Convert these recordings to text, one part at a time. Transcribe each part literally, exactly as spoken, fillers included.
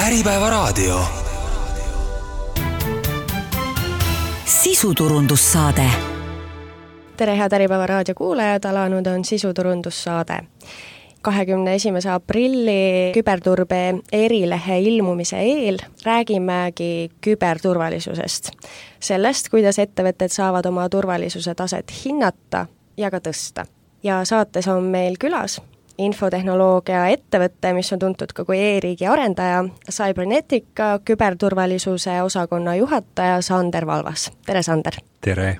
Äripäevaraadio. Sisuturundussaade. Tere, head Äripäevaraadio kuulajad, alanud on sisuturundussaade. kahekümne esimese aprilli küberturbe erilehe ilmumise eel räägimegi küberturvalisusest. Sellest, kuidas ettevõtted saavad oma turvalisuse taset hinnata ja ka tõsta. Ja saates on meil külas infotehnoloogia ettevõtte, mis on tuntud ka kui e-riigi arendaja, Cybernetica küberturvalisuse osakonna juhataja Sander Valvas. Tere, Sander! Tere!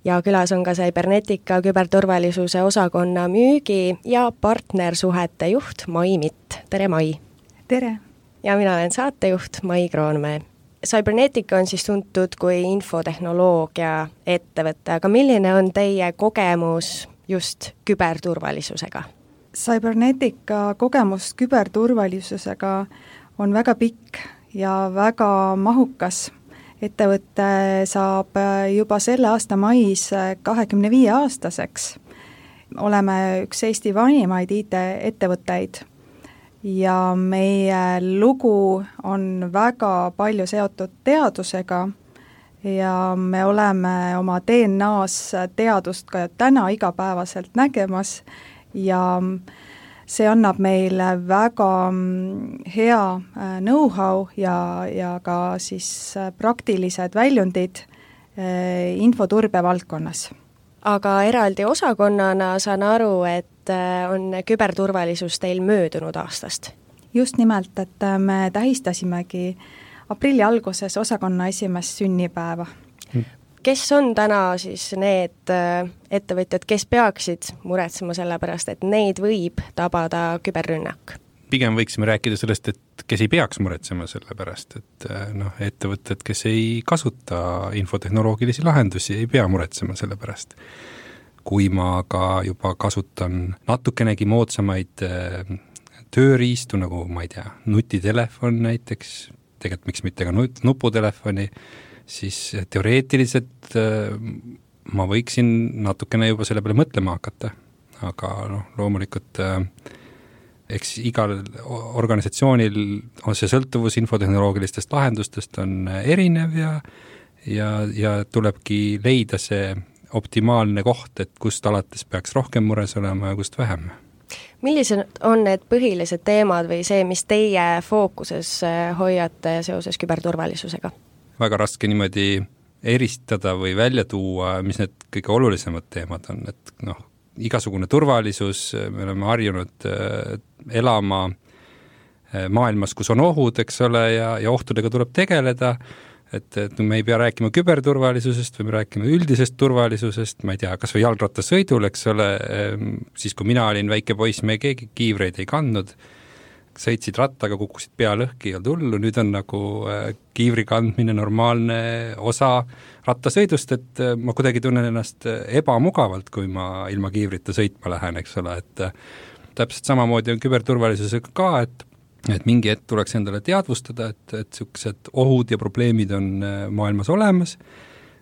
Ja külas on ka Cybernetica küberturvalisuse osakonna müügi ja partnersuhete juht Mai Mitt. Tere, Mai! Tere! Ja mina olen saatejuht Mai Kroonmäe. Cybernetica on siis tuntud kui infotehnoloogia ettevõte, aga milline on teie kogemus just küberturvalisusega? Cybernetica kogemus küberturvalisusega on väga pikk ja väga mahukas. Ettevõte saab juba selle aasta mais kahekümne viie aastaseks. Oleme üks Eesti vanimaid I T-ettevõtteid ja meie lugu on väga palju seotud teadusega ja me oleme oma D N A-s teadust ka täna igapäevaselt nägemas ja see annab meile väga hea know-how ja, ja ka siis praktilised väljundid infoturbe valdkonnas. Aga eraldi osakonnana saan aru, et on küberturvalisus teil möödunud aastast. Just nimelt, et me tähistasimegi aprilli alguses osakonna esimest sünnipäeva. Kes on täna siis need ettevõtjad, kes peaksid muretsema selle pärast, et neid võib tabada küberrünnak? Pigem võiksime rääkida sellest, et kes ei peaks muretsema selle pärast, et noh, ettevõtted, kes ei kasuta infotehnoloogilisi lahendusi, ei pea muretsema selle pärast. Kui ma ka juba kasutan natukenegi moodsamaid tööriistu, nagu ma ei tea, nutitelefon näiteks, tegelikult miks mitte ka nuputelefoni, siis teoreetiliselt ma võiksin natukene juba selle peale mõtlema hakata. Aga noh, loomulikult eks igal organisatsioonil on see sõltuvus infotehnoloogilistest lahendustest on erinev ja, ja, ja tulebki leida see optimaalne koht, et kust alates peaks rohkem mures olema ja kust vähem. Millised on need põhilised teemad või see, mis teie fookuses hoiate seoses küberturvalisusega? Väga raske niimoodi eristada või välja tuua, mis need kõige olulisemad teemad on, et noh, igasugune turvalisus, me oleme harjunud elama maailmas, kus on ohud, eks ole, ja, ja ohtudega tuleb tegeleda, et, et me ei pea rääkima küberturvalisusest või me rääkime üldisest turvalisusest, ma ei tea, kas või jalgrattasõidul, eks ole, siis kui mina olin väike poiss, me keegi kiivreid ei kandnud, sõitsid rattaga, kukkusid pea lõhki ja tullu, nüüd on nagu kiivri kandmine normaalne osa rattasõidust, et ma kuidagi tunnen ennast ebamugavalt, kui ma ilma kiivrita sõitma lähen, eks ole, et täpselt samamoodi on küberturvalisusega ka, et, et mingi hetk tuleks endale teadvustada, et, et sellised ohud ja probleemid on maailmas olemas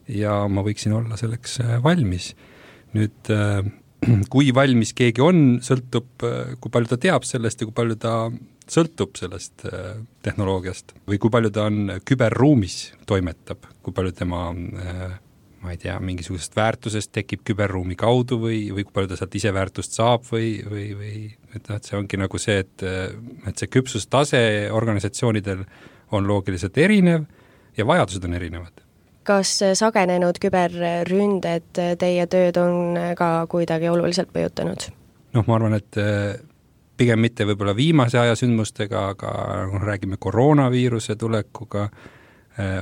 ja ma võiksin olla selleks valmis. Nüüd kui valmis keegi on, sõltub, kui palju ta teab sellest ja kui palju ta sõltub sellest tehnoloogiast või kui palju ta on küberruumis toimetab, kui palju tema, ma ei tea, mingisugusest väärtusest tekib küberruumi kaudu või, või kui palju ta sealt ise väärtust saab või, või, või et, et see ongi nagu see, et, et see küpsustase organisatsioonidel on loogiliselt erinev ja vajadused on erinevad. Kas sagenenud küberründed teie tööd on ka kuidagi oluliselt mõjutanud? Noh, ma arvan, et pigem mitte võib-olla viimase aja sündmustega, aga räägime koroonaviiruse tulekuga,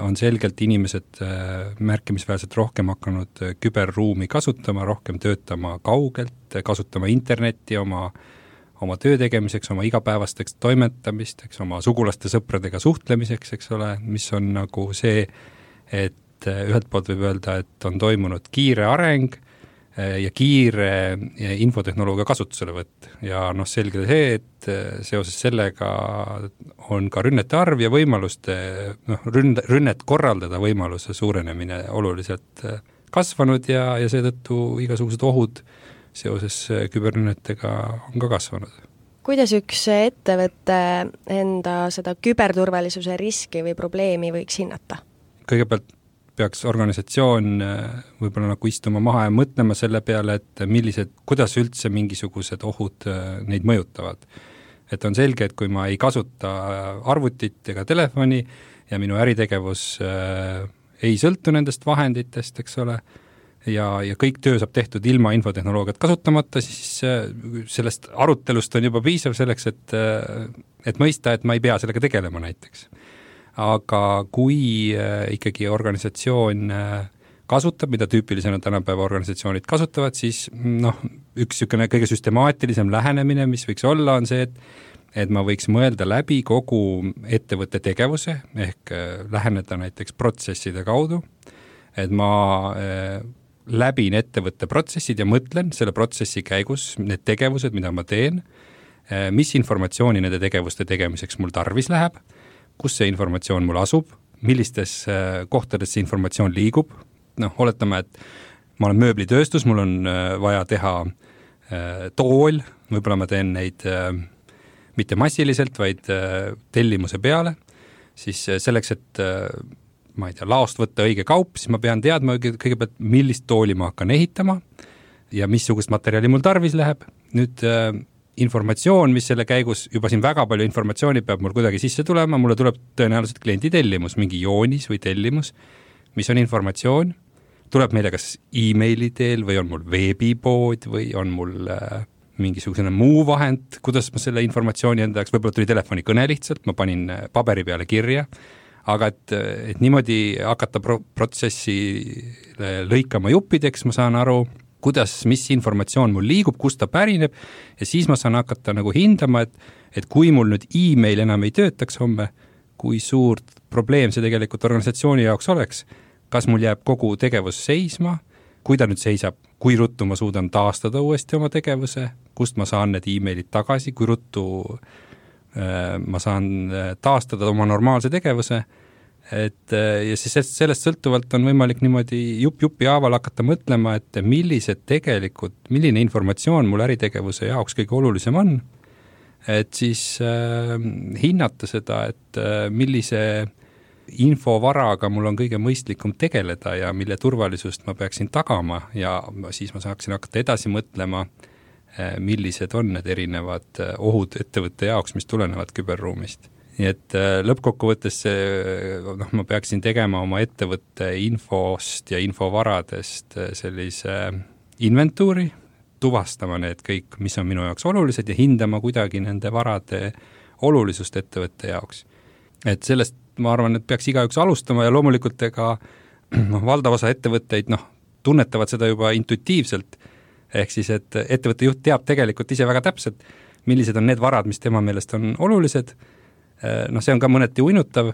on selgelt inimesed märkimisväärselt rohkem hakanud küberruumi kasutama, rohkem töötama kaugelt, kasutama internetti oma, oma töö tegemiseks, oma igapäevasteks toimetamisteks, oma sugulaste sõpradega suhtlemiseks, eks ole, mis on nagu see, et ühelt poolt võib öelda, et on toimunud kiire areng ja kiire infotehnoloogia kasutuselevõtt ja noh, selge see, et seoses sellega on ka rünnete arv ja võimaluste, noh, ründe, rünnet korraldada võimaluse suurenemine oluliselt kasvanud ja, ja seetõttu igasugused ohud seoses küberrünnetega on ka kasvanud. kuidas üks ettevõte enda seda küberturvalisuse riski või probleemi võiks hinnata? Kõigepealt peaks organisatsioon võib-olla nagu istuma maha ja mõtlema selle peale, et millised, kuidas üldse mingisugused ohud neid mõjutavad. Et on selge, et kui ma ei kasuta arvutit ega telefoni ja minu äritegevus ei sõltu nendest vahenditest, eks ole, ja, ja kõik töö saab tehtud ilma infotehnoloogiat kasutamata, siis sellest arutelust on juba piisav selleks, et, et mõista, et ma ei pea sellega tegelema näiteks. Aga kui ikkagi organisatsioon kasutab, mida tüüpilisena tänapäeva organisatsioonid kasutavad, siis noh, üks niisugune kõige süstemaatilisem lähenemine, mis võiks olla, on see, et, et ma võiks mõelda läbi kogu ettevõtte tegevuse, ehk läheneda näiteks protsesside kaudu, et ma läbin ettevõtte protsessid ja mõtlen selle protsessi käigus need tegevused, mida ma teen, mis informatsiooni nende tegevuste tegemiseks mul tarvis läheb, kus see informatsioon mul asub, millistes kohtades see informatsioon liigub, noh, oletame, et ma olen mööblitööstus, mul on vaja teha tool, võib-olla ma teen neid mitte massiliselt, vaid tellimuse peale, siis selleks, et ma ei tea, laost võtta õige kaup, siis ma pean teadma kõigepealt, millist tooli ma hakkan ehitama ja missugust materjali mul tarvis läheb. Nüüd informatsioon, mis selle käigus, juba siin väga palju informatsiooni peab mul kuidagi sisse tulema, mulle tuleb tõenäoliselt kliendi tellimus, mingi joonis või tellimus, mis on informatsioon, tuleb meile kas e-maili teel või on mul veebipood või on mul äh, mingisugune muu vahend, kuidas ma selle informatsiooni enda jaoks, võib-olla tuli telefonikõne lihtsalt, ma panin paberi peale kirja, aga et, et niimoodi hakata pro- protsessi lõikama juppideks, ma saan aru, kuidas, mis informatsioon mul liigub, kust ta pärineb ja siis ma saan hakata nagu hindama, et, et kui mul nüüd e-mail enam ei töötaks homme, kui suurt probleem see tegelikult organisatsiooni jaoks oleks, kas mul jääb kogu tegevus seisma, kui ta nüüd seisab, kui ruttu ma suudan taastada uuesti oma tegevuse, kust ma saan need e-mailid tagasi, kui ruttu äh, ma saan taastada oma normaalse tegevuse, et ja siis sellest sõltuvalt on võimalik niimoodi jupp-jupi haaval hakata mõtlema, et millised tegelikult, milline informatsioon mul äritegevuse jaoks kõige olulisem on, et siis äh, hinnata seda, et äh, millise infovaraga mul on kõige mõistlikum tegeleda ja mille turvalisust ma peaksin tagama ja siis ma saaksin hakata edasi mõtlema, äh, millised on need erinevad ohud ettevõtte jaoks, mis tulenevad küberruumist. Nii et lõppkokkuvõttes noh, ma peaksin tegema oma ettevõtte infost ja infovaradest sellise inventuuri, tuvastama need kõik, mis on minu jaoks olulised ja hindama kuidagi nende varade olulisust ettevõtte jaoks. Et sellest ma arvan, et peaks igaüks alustama ja loomulikult ega noh, valdav osa ettevõtteid noh, tunnetavad seda juba intuitiivselt, ehk siis, et ettevõtte juht teab tegelikult ise väga täpselt, millised on need varad, mis tema meelest on olulised. Noh, see on ka mõneti uinutav,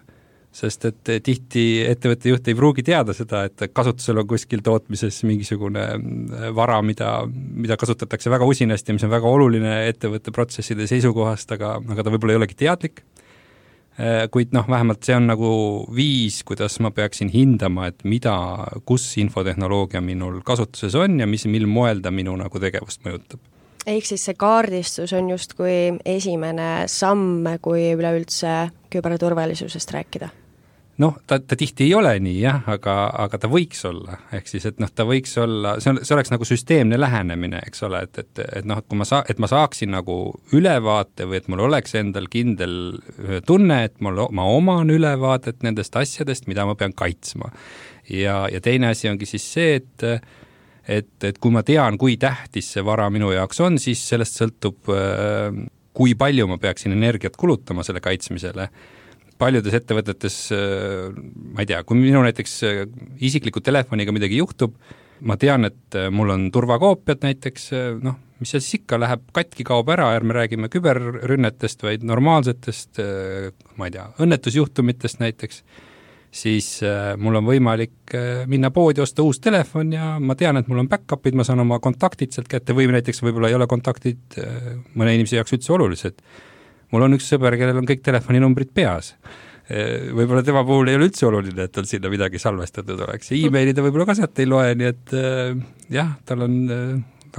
sest et tihti ettevõtte juht ei pruugi teada seda, et kasutusel on kuskil tootmises mingisugune vara, mida, mida kasutatakse väga usinasti ja mis on väga oluline ettevõtte protsesside seisukohast, aga, aga ta võib-olla ei olegi teadlik. Kuid noh, vähemalt see on nagu viis, kuidas ma peaksin hindama, et mida, kus infotehnoloogia minul kasutuses on ja mis, mil moel ta minu nagu tegevust mõjutab. Ehk siis see kaardistus on justkui esimene samm, kui üleüldse küberturvalisusest rääkida? Noh, ta, ta tihti ei ole nii, jah, aga, aga ta võiks olla. Ehk siis, et noh, ta võiks olla, see, on, see oleks nagu süsteemne lähenemine, eks ole, et, et, et noh, kui ma, saa, et ma saaksin nagu ülevaate või et mul oleks endal kindel tunne, et mul, ma oman ülevaadet nendest asjadest, mida ma pean kaitsma. Ja, ja teine asi ongi siis see, et Et, et kui ma tean, kui tähtis see vara minu jaoks on, siis sellest sõltub, kui palju ma peaksin energiat kulutama selle kaitsmisele. Paljudes ettevõtetes, ma ei tea, kui minu näiteks isikliku telefoniga midagi juhtub, ma tean, et mul on turvakoopiad näiteks, noh, mis see siis ikka läheb, katki kaob ära, ärme räägime küberrünnetest, vaid normaalsetest, ma ei tea, õnnetusjuhtumitest näiteks, siis äh, mul on võimalik äh, minna poodi, osta uus telefon ja ma tean, et mul on back-upid, ma saan oma kontaktid sealt kätte või näiteks võib-olla ei ole kontaktid äh, mõne inimese jaoks üldse olulised. Mul on üks sõber, kellel on kõik telefoninumbrid peas. Äh, võib-olla tema puhul ei ole üldse oluline, et tal sinna midagi salvestatud oleks. Ja e-maili ta võib-olla ka sealt ei loe, nii et äh, jah, tal on äh,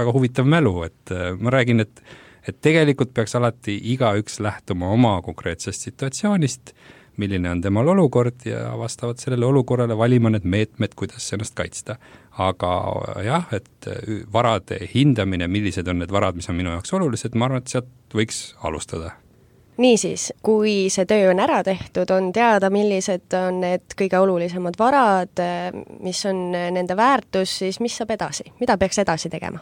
väga huvitav mälu, et äh, ma räägin, et et tegelikult peaks alati igaüks lähtuma oma konkreetsest situatsioonist, milline on temal olukord ja vastavalt sellele olukorrale valima need meetmed, kuidas ennast kaitsta. Aga jah, et varade hindamine, millised on need varad, mis on minu jaoks olulised, ma arvan, et sealt võiks alustada. Niisiis, kui see töö on ära tehtud, on teada, millised on need kõige olulisemad varad, mis on nende väärtus, siis mis saab edasi? Mida peaks edasi tegema?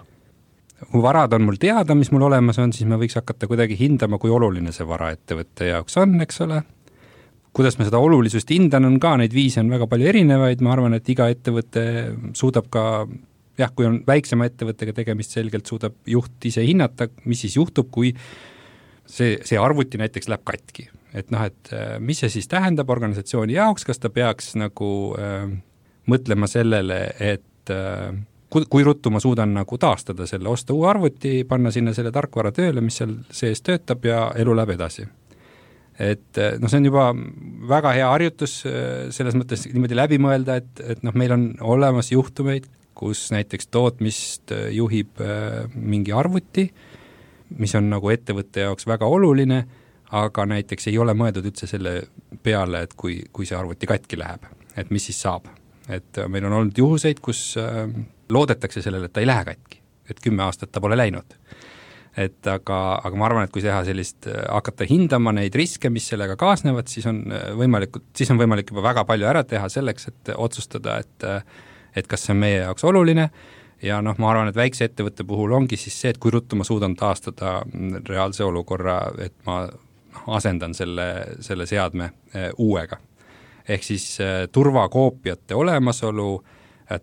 Kui varad on mul teada, mis mul olemas on, siis me võiks hakata kuidagi hindama, kui oluline see vara ettevõtte jaoks on, eks ole. Kuidas me seda olulisust hindan, on ka neid viise on väga palju erinevaid, ma arvan, et iga ettevõte suudab ka, jah, kui on väiksema ettevõttega tegemist, selgelt suudab juht ise hinnata, mis siis juhtub, kui see, see arvuti näiteks läheb katki. Et noh, et mis see siis tähendab organisatsiooni jaoks, kas ta peaks nagu äh, mõtlema sellele, et äh, kui, kui ruttu ma suudan nagu taastada selle, osta uue arvuti, panna sinna selle tarkvara tööle, mis seal sees töötab ja elu läheb edasi. Et noh, see on juba väga hea harjutus selles mõttes niimoodi läbi mõelda, et, et noh, meil on olemas juhtumeid, kus näiteks tootmist juhib äh, mingi arvuti, mis on nagu ettevõtte jaoks väga oluline, aga näiteks ei ole mõeldud üldse selle peale, et kui, kui see arvuti katki läheb, et mis siis saab. Et meil on olnud juhuseid, kus äh, loodetakse sellele, et ta ei lähe katki, et kümme aastat ta pole läinud. Et aga, aga ma arvan, et kui teha sellist, hakata hindama neid riske, mis sellega kaasnevad, siis on võimalik, siis on võimalik juba väga palju ära teha selleks, et otsustada, et, et kas see on meie jaoks oluline. Ja noh, ma arvan, et väikse ettevõtte puhul ongi siis see, et kui ruttu ma suudan taastada reaalse olukorra, et ma asendan selle, selle seadme uuega. Ehk siis turvakoopiate olemasolu,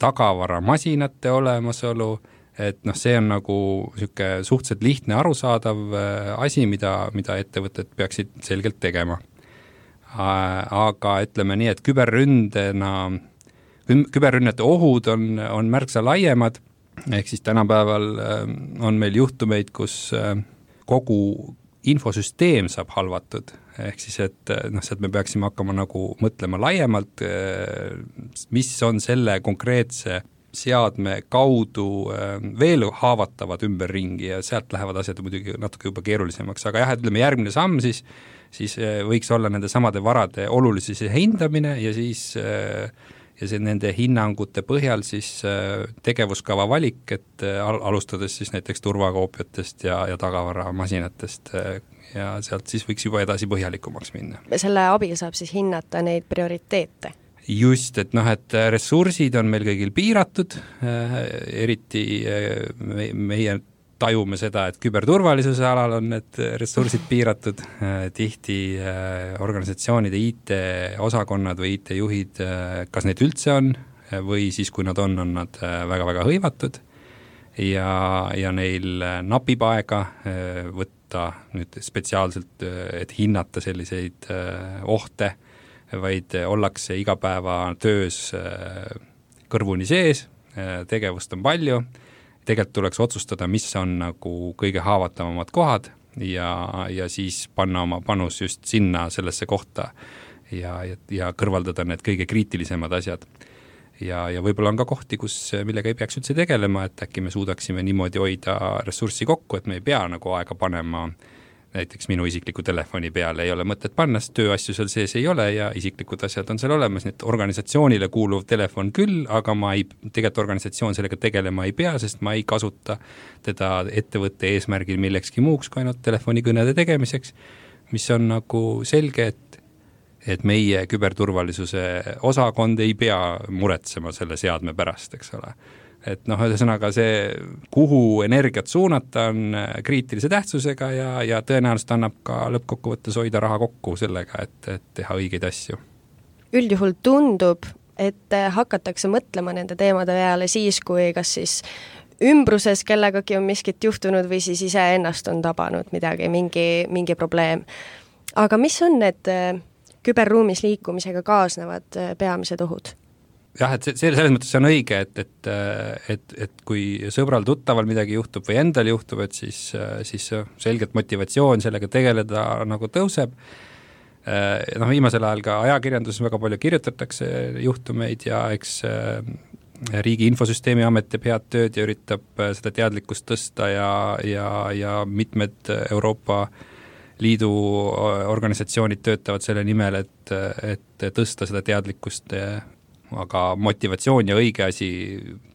tagavaramasinate olemasolu, et noh, see on nagu niisugune suhteliselt lihtne arusaadav asi, mida, mida ettevõtted peaksid selgelt tegema. Aga ütleme nii, et küberründena, küberrünnete ohud on, on märksa laiemad, ehk siis tänapäeval on meil juhtumeid, kus kogu infosüsteem saab halvatud, ehk siis, et noh, see, et me peaksime hakkama nagu mõtlema laiemalt, mis on selle konkreetse seadme kaudu veel haavatavad ümberringi ja sealt lähevad asjad muidugi natuke juba keerulisemaks, aga jah, ütleme järgmine samm siis, siis võiks olla nende samade varade olulisuse hindamine ja siis ja see nende hinnangute põhjal siis tegevuskava valik, et alustades siis näiteks turvakoopiatest ja, ja tagavaramasinatest ja sealt siis võiks juba edasi põhjalikumaks minna. Selle abil saab siis hinnata neid prioriteete? Just, et noh, et ressursid on meil kõigil piiratud, eriti meie tajume seda, et küberturvalisuse alal on need ressursid piiratud, tihti organisatsioonide I T-osakonnad või I T-juhid, kas neid üldse on või siis, kui nad on, on nad väga-väga hõivatud ja, ja neil napib aega võtta nüüd spetsiaalselt, et hinnata selliseid ohte, vaid ollakse igapäeva töös kõrvuni sees, tegevust on palju, tegelikult tuleks otsustada, mis on nagu kõige haavatavamad kohad ja, ja siis panna oma panus just sinna sellesse kohta ja, ja, ja kõrvaldada need kõige kriitilisemad asjad. Ja, ja võib-olla on ka kohti, kus millega ei peaks üldse tegelema, et äkki me suudaksime niimoodi hoida ressurssi kokku, et me ei pea nagu aega panema näiteks minu isikliku telefoni peale ei ole mõtet panna, sest tööasju seal sees ei ole ja isiklikud asjad on seal olemas, nii et organisatsioonile kuuluv telefon küll, aga ma ei, tegelikult organisatsioon sellega tegelema ei pea, sest ma ei kasuta teda ettevõtte eesmärgil millekski muuks kui ainult telefonikõnede tegemiseks, mis on nagu selge, et, et meie küberturvalisuse osakond ei pea muretsema selle seadme pärast, eks ole. Et noh, ühesõnaga see, kuhu energiat suunata on kriitilise tähtsusega ja, ja tõenäoliselt annab ka lõppkokkuvõttes hoida raha kokku sellega, et, et teha õigeid asju. Üldjuhul tundub, et hakatakse mõtlema nende teemade peale siis, kui kas siis ümbruses kellegagi on miskit juhtunud või siis ise ennast on tabanud midagi, mingi, mingi probleem. Aga mis on need küberruumis liikumisega kaasnevad peamised ohud? Jah, et see, selles mõttes see on õige, et, et, et, et kui sõbral tuttaval midagi juhtub või endal juhtub, et siis, siis selgelt motivatsioon sellega tegeleda nagu tõuseb. Noh, viimasel ajal ka ajakirjanduses väga palju kirjutatakse juhtumeid ja eks Riigi Infosüsteemi Amet teeb head tööd ja üritab seda teadlikkust tõsta ja, ja, ja mitmed Euroopa Liidu organisatsioonid töötavad selle nimel, et, et tõsta seda teadlikkust, aga motivatsioon ja õige asi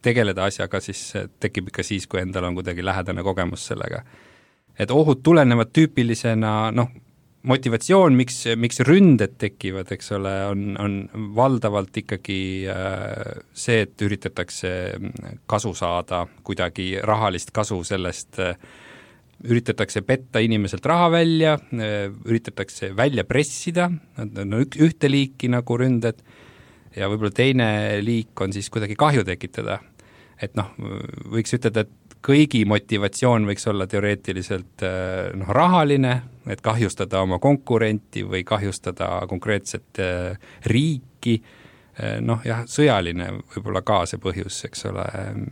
tegeleda asjaga siis tekib ikka siis, kui endal on kuidagi lähedane kogemus sellega. Et ohud tulenevad tüüpilisena, noh, motivatsioon, miks, miks ründed tekivad, eks ole, on, on valdavalt ikkagi see, et üritatakse kasu saada, kuidagi rahalist kasu sellest, üritatakse petta inimeselt raha välja, üritatakse välja pressida, no ühte liiki nagu ründed, ja võib-olla teine liik on siis kuidagi kahju tekitada. Et noh, võiks ütelda, et kõigi motivatsioon võiks olla teoreetiliselt noh, rahaline, et kahjustada oma konkurenti või kahjustada konkreetset riiki, noh jah, sõjaline võib-olla ka see põhjus, eks ole,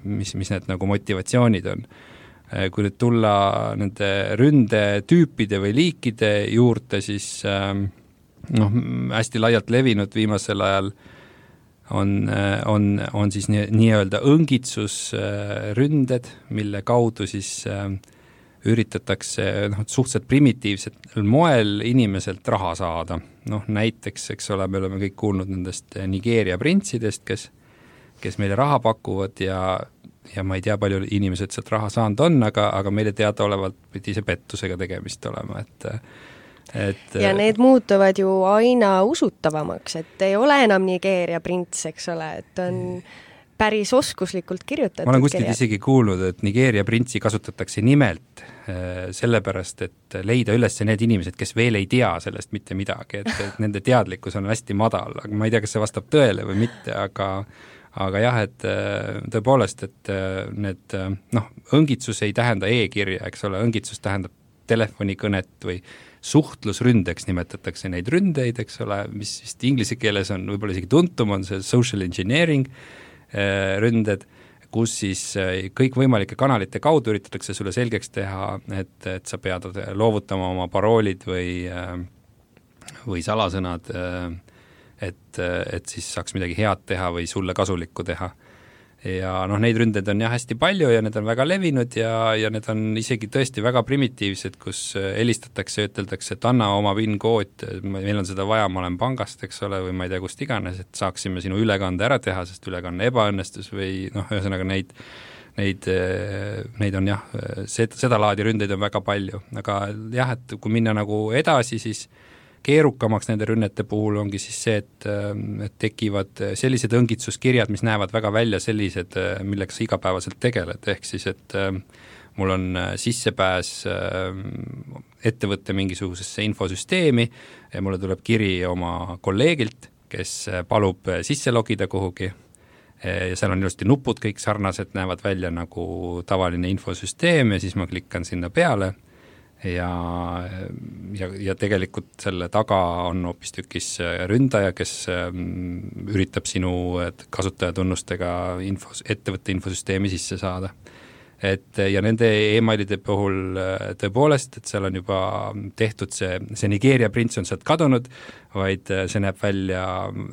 mis, mis need nagu motivatsioonid on. Kui nüüd tulla nende ründetüüpide või liikide juurde, siis noh, hästi laialt levinud viimasel ajal on, on, on siis nii, nii-öelda õngitsusründed, mille kaudu siis üritatakse noh, suhteliselt primitiivsel moel inimeselt raha saada. Noh, näiteks, eks ole, me oleme kõik kuulnud nendest Nigeeria printsidest, kes, kes meile raha pakuvad ja ja ma ei tea, palju inimesed sealt raha saanud on, aga, aga meile teadaolevalt pidi see pettusega tegemist olema, et et ja need muutuvad ju aina usutavamaks, et ei ole enam Nigeeria prints, eks ole, et on päris oskuslikult kirjutatud. Ma olen kuskilt isegi kuulnud, et Nigeeria printsi kasutatakse nimelt sellepärast, et leida üles need inimesed, kes veel ei tea sellest mitte midagi, et, et nende teadlikkus on hästi madal, aga ma ei tea, kas see vastab tõele või mitte, aga aga jah, et tõepoolest, et need, noh, õngitsus ei tähenda e-kirja, eks ole, õngitsus tähendab telefonikõnet või suhtlusründeks nimetatakse neid ründeid, eks ole, mis vist inglise keeles on võib-olla isegi tuntum, on see social engineering ründed, kus siis kõikvõimalike kanalite kaudu üritatakse sulle selgeks teha, et, et sa pead loovutama oma paroolid või, või salasõnad, et, et siis saaks midagi head teha või sulle kasulikku teha. Ja noh, neid ründeid on jah hästi palju ja need on väga levinud ja, ja need on isegi tõesti väga primitiivsed, kus helistatakse, üteldakse, et anna oma PIN-kood, meil on seda vaja, ma olen pangast, eks ole, või ma ei tea, kust iganes, et saaksime sinu ülekande ära teha, sest ülekanne ebaõnnestus või noh, ühesõnaga neid, neid, neid on jah, seda laadi ründeid on väga palju, aga jah, et kui minna nagu edasi, siis keerukamaks nende rünnete puhul ongi siis see, et, et tekivad sellised õngitsuskirjad, mis näevad väga välja sellised, millega sa igapäevaselt tegeled, ehk siis, et mul on sissepääs ettevõtte mingisugusesse infosüsteemi ja mulle tuleb kiri oma kolleegilt, kes palub sisse logida kuhugi ja seal on ilusti nupud kõik sarnased, näevad välja nagu tavaline infosüsteem ja siis ma klikkan sinna peale ja, ja, ja tegelikult selle taga on hoopis tükis ründaja, kes üritab sinu kasutajatunnustega infos, ettevõtte infosüsteemi sisse saada. Et ja nende e-mailide puhul tõepoolest, et seal on juba tehtud see, see Nigeeria prints on sealt kadunud, vaid see näeb välja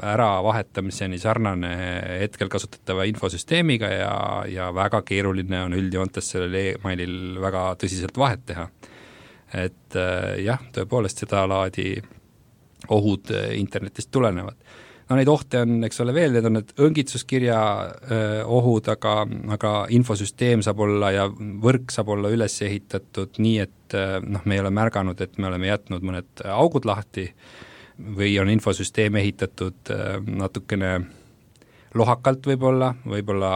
ära vahetamiseni sarnane hetkel kasutatava infosüsteemiga ja, ja väga keeruline on üldjoontes sellel e-mailil väga tõsiselt vahet teha. Et jah, tõepoolest seda laadi ohud internetist tulenevad. No neid ohte on, eks ole veel, need on need õngitsuskirja öö, ohud, aga, aga infosüsteem saab olla ja võrk saab olla üles ehitatud nii, et noh, me ei ole märganud, et me oleme jätnud mõned augud lahti või on infosüsteem ehitatud öö, natukene lohakalt võib-olla, võib-olla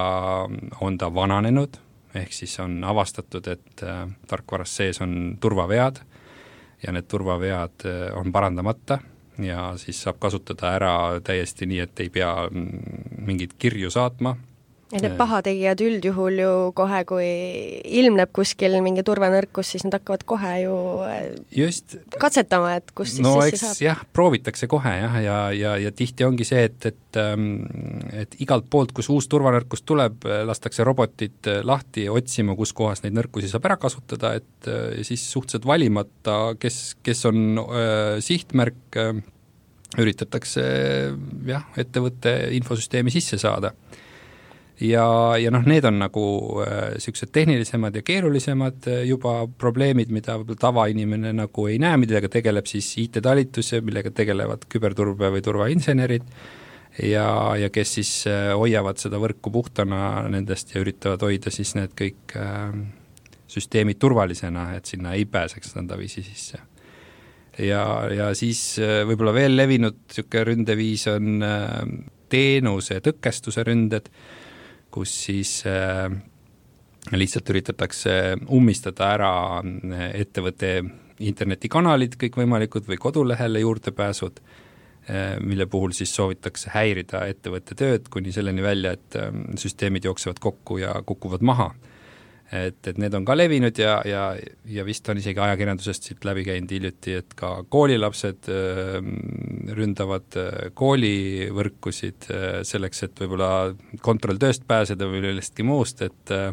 on ta vananenud, ehk siis on avastatud, et öö, tarkvaras sees on turvavead ja need turvavead öö, on parandamata ja siis saab kasutada ära täiesti nii, et ei pea mingit kirju saatma. Ja need pahategijad üldjuhul ju kohe, kui ilmneb kuskil mingi turvanõrkus, siis nad hakkavad kohe ju Just. katsetama, et kus siis no, sisse eks, saab. jah, proovitakse kohe jah, ja, ja, ja tihti ongi see, et, et, et igalt poolt, kus uus turvanõrkus tuleb, lastakse robotid lahti otsima, kus kohas neid nõrkusi saab ära kasutada, et siis suhteliselt valimata, kes, kes on äh, sihtmärk, äh, üritatakse jah, ettevõtte infosüsteemi sisse saada. ja, ja noh, need on nagu niisugused tehnilisemad ja keerulisemad juba probleemid, mida tavainimene nagu ei näe, millega tegeleb siis I T-talitus, millega tegelevad küberturbe või turvainsenerid ja, ja kes siis hoiavad seda võrku puhtana nendest ja üritavad hoida siis need kõik äh, süsteemid turvalisena, et sinna ei pääseks nõndaviisi sisse. Ja, ja siis võib-olla veel levinud niisugune ründeviis on teenuse tõkestuse ründed, kus siis lihtsalt üritatakse ummistada ära ettevõtte internetikanalid kõikvõimalikud või kodulehele juurdepääsud, mille puhul siis soovitakse häirida ettevõtte tööd kuni selleni välja, et süsteemid jooksevad kokku ja kukuvad maha. Et, et need on ka levinud ja, ja, ja vist on isegi ajakirjandusest siit läbi käinud hiljuti, et ka koolilapsed äh, ründavad äh, koolivõrkusid äh, selleks, et võib-olla kontrolltööst pääseda või millestki muust, et äh,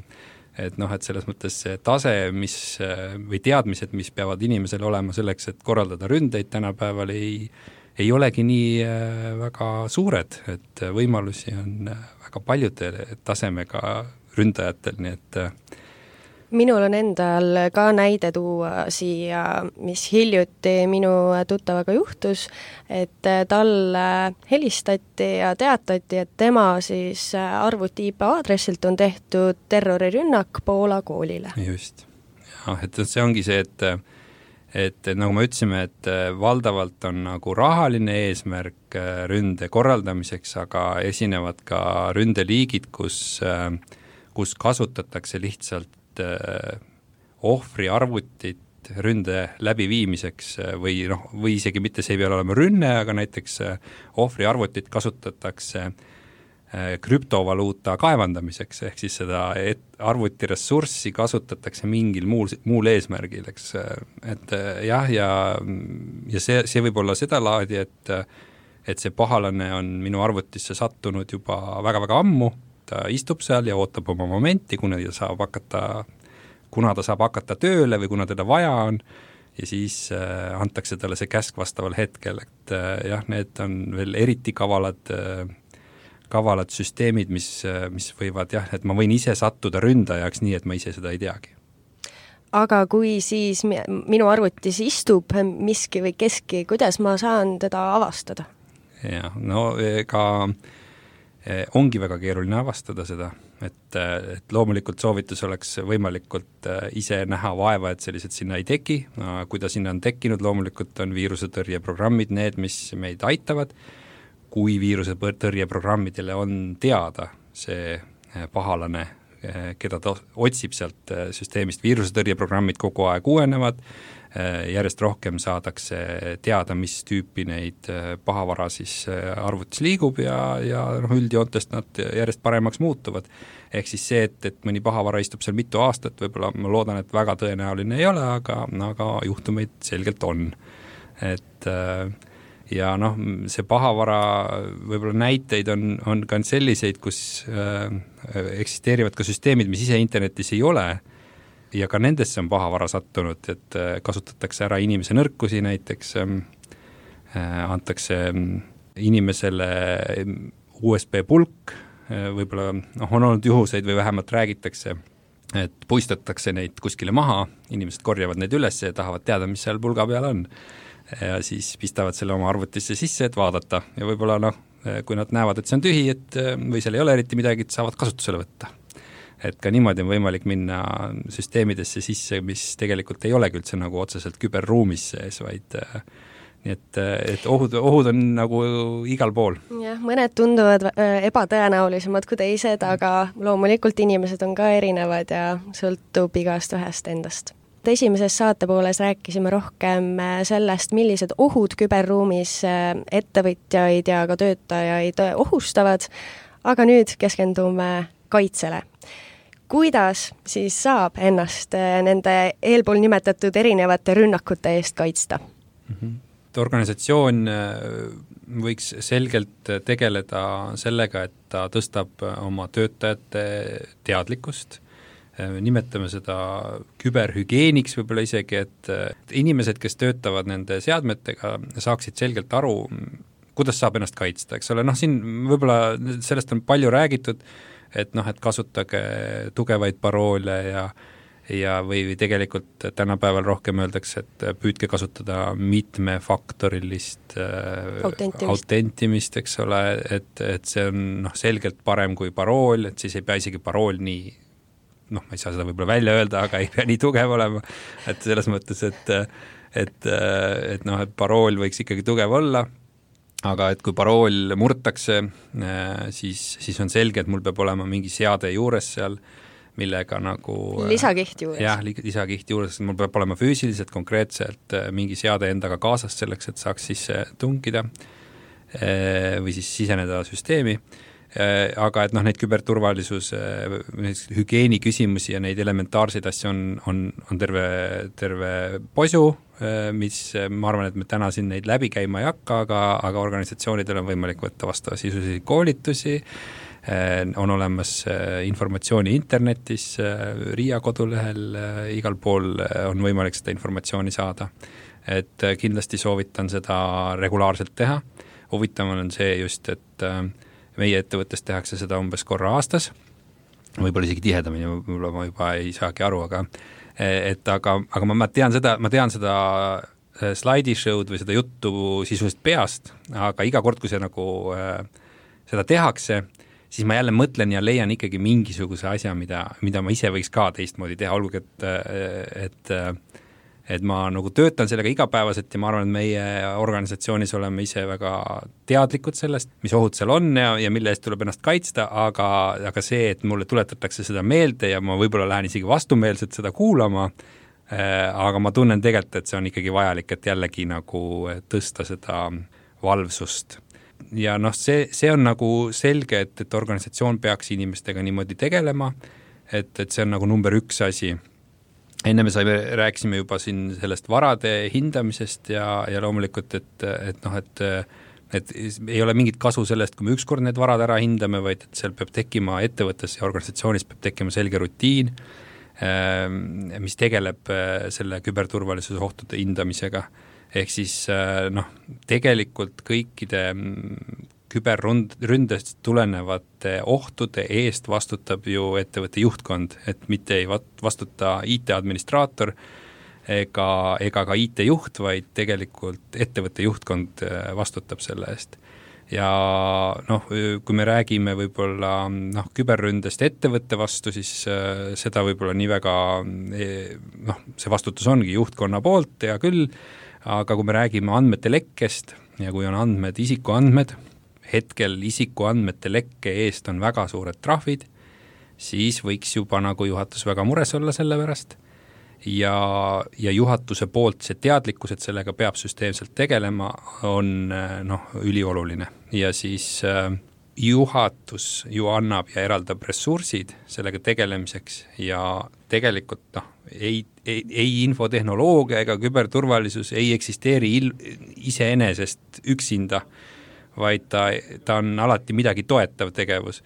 et noh, et selles mõttes see tase, mis äh, või teadmised, mis peavad inimesel olema selleks, et korraldada ründeid tänapäeval, ei, ei olegi nii äh, väga suured, et võimalusi on äh, väga paljude tasemega ründajatel, nii et äh, minul on endal ka näide tuua siia, mis hiljuti minu tuttavaga juhtus, et talle helistati ja teatati, et tema siis arvuti I P aadressilt on tehtud terrorirünnak Poola koolile. Just. Ja, et see ongi see, et, et nagu me ütlesime, et valdavalt on nagu rahaline eesmärk ründe korraldamiseks, aga esinevad ka ründeliigid, kus, kus kasutatakse lihtsalt ohvri arvutit ründe läbiviimiseks või noh, või isegi mitte see ei pea olema rünne, aga näiteks ohvri arvutit kasutatakse krüptovaluuta kaevandamiseks, ehk siis seda arvutiressurssi kasutatakse mingil muul, muul eesmärgil, eks, et jah, ja, ja see, see võib olla seda laadi, et, et see pahalane on minu arvutisse sattunud juba väga-väga ammu, ta istub seal ja ootab oma momenti, kuna ta saab hakata, kuna ta saab hakata tööle või kuna teda vaja on, ja siis äh, antakse talle see käsk vastaval hetkel, et äh, jah, need on veel eriti kavalad, äh, kavalad süsteemid, mis, äh, mis võivad jah, et ma võin ise sattuda ründajaks nii, et ma ise seda ei teagi. Aga kui siis minu arvutis istub miski või keski, kuidas ma saan teda avastada? Jah, no ega ongi väga keeruline avastada seda, et, et loomulikult soovitus oleks võimalikult ise näha vaeva, et sellised sinna ei teki, kui ta sinna on tekkinud, loomulikult on viirusetõrjeprogrammid need, mis meid aitavad, kui viirusetõrjeprogrammidele on teada see pahalane, keda ta otsib sealt süsteemist, viirusetõrjeprogrammid kogu aeg uuenevad, järjest rohkem saadakse teada, mis tüüpi neid pahavara siis arvutis liigub ja, ja noh, üldjoontest nad järjest paremaks muutuvad. Ehk siis see, et, et mõni pahavara istub seal mitu aastat, võib-olla ma loodan, et väga tõenäoline ei ole, aga, aga juhtumeid selgelt on. Et ja noh, see pahavara võib-olla näiteid on, on ka selliseid, kus äh, eksisteerivad ka süsteemid, mis ise internetis ei ole, ja ka nendesse on pahavara sattunud, et kasutatakse ära inimese nõrkusi näiteks, antakse inimesele U S B pulk, võib-olla noh, on olnud juhuseid või vähemalt räägitakse, et puistatakse neid kuskile maha, inimesed korjavad neid üles ja tahavad teada, mis seal pulga peal on. Ja siis pistavad selle oma arvutisse sisse, et vaadata ja võib-olla noh, kui nad näevad, et see on tühi, et või seal ei ole eriti midagi, et saavad kasutusele võtta. Et ka niimoodi on võimalik minna süsteemidesse sisse, mis tegelikult ei olegi üldse nagu otseselt küberruumis sees, vaid nii et, et ohud, ohud on nagu igal pool. Jah, mõned tunduvad ebatõenäolisemad kui teised, aga loomulikult inimesed on ka erinevad ja sõltub igast ühest endast. Esimeses saatepooles rääkisime rohkem sellest, millised ohud küberruumis ettevõtjaid ja ka töötajaid ohustavad, aga nüüd keskendume kaitsele. Kuidas siis saab ennast nende eelpool nimetatud erinevate rünnakute eest kaitsta? Mm-hmm. Organisatsioon võiks selgelt tegeleda sellega, et ta tõstab oma töötajate teadlikkust, nimetame seda küberhügeeniks võib-olla isegi, et inimesed, kes töötavad nende seadmetega, saaksid selgelt aru, kuidas saab ennast kaitsta, eks ole, noh siin võib-olla sellest on palju räägitud, et noh, et kasutage tugevaid paroole ja ja või tegelikult tänapäeval rohkem öeldakse, et püüdke kasutada mitmefaktorilist autentimist, autentimist, eks ole, et, et see on noh, selgelt parem kui parool, et siis ei pea isegi parool nii, noh, ma ei saa seda võib-olla välja öelda, aga ei pea nii tugev olema, et selles mõttes, et et, et noh, et parool võiks ikkagi tugev olla, aga et kui parool murtakse, siis, siis on selge, et mul peab olema mingi seade juures seal, millega nagu lisakiht juures. jah, lisakiht juures, mul peab olema füüsiliselt konkreetselt mingi seade endaga kaasas selleks, et saaks sisse tungida või siis siseneda süsteemi, aga et noh, neid küberturvalisuse hügieeni küsimusi ja neid elementaarseid asju on, on, on terve, terve posu, mis ma arvan, et me täna siin neid läbi käima ei hakka, aga, aga organisatsioonidel on võimalik võtta vastava sisulisi koolitusi, on olemas informatsiooni internetis, Riia kodulehel, igal pool on võimalik seda informatsiooni saada. Et kindlasti soovitan seda regulaarselt teha. Huvitaval on see just, et meie ettevõttes tehakse seda umbes korra aastas, võib-olla isegi tihedamini, võib-olla ma juba ei saagi aru, aga et aga, aga ma tean seda, ma tean seda slaidishow'd või seda juttu sisuliselt peast, aga iga kord, kui see nagu seda tehakse, siis ma jälle mõtlen ja leian ikkagi mingisuguse asja, mida, mida ma ise võiks ka teistmoodi teha, olgugi, et, et, et ma nagu töötan sellega igapäevaselt ja ma arvan, et meie organisatsioonis oleme ise väga teadlikud sellest, mis ohud seal on ja, ja mille eest tuleb ennast kaitsta, aga, aga see, et mulle tuletatakse seda meelde ja ma võib-olla lähen isegi vastumeelselt seda kuulama, aga ma tunnen tegelikult, et see on ikkagi vajalik, et jällegi nagu tõsta seda valvsust. Ja noh, see, see on nagu selge, et, et organisatsioon peaks inimestega niimoodi tegelema, et, et see on nagu number üks asi. Enne me saime, rääkisime juba siin sellest varade hindamisest ja, ja loomulikult, et, et noh, et, et ei ole mingit kasu sellest, kui me ükskord need varad ära hindame, vaid et seal peab tekkima ettevõttes ja organisatsioonis peab tekkima selge rutiin, mis tegeleb selle küberturvalisuse ohtude hindamisega. Ehk siis noh, tegelikult kõikide küberründest tulenevate ohtude eest vastutab ju ettevõtte juhtkond, et mitte ei vastuta I T-administraator ega, ega ka I T-juht, vaid tegelikult ettevõtte juhtkond vastutab selle eest. Ja noh, kui me räägime võib-olla noh, küberründest ettevõtte vastu, siis seda võib-olla nii väga, noh, see vastutus ongi juhtkonna poolt ja küll, aga kui me räägime andmete lekkest ja kui on andmed, isikuandmed, hetkel isikuandmete lekke eest on väga suured trahvid, siis võiks juba nagu juhatus väga mures olla selle pärast ja, ja juhatuse poolt see teadlikkus, et sellega peab süsteemselt tegelema, on noh, ülioluline. Ja siis äh, juhatus ju annab ja eraldab ressursid sellega tegelemiseks ja tegelikult noh, ei, ei, ei infotehnoloogia ega küberturvalisus ei eksisteeri il, iseenesest üksinda, vaid ta, ta on alati midagi toetav tegevus.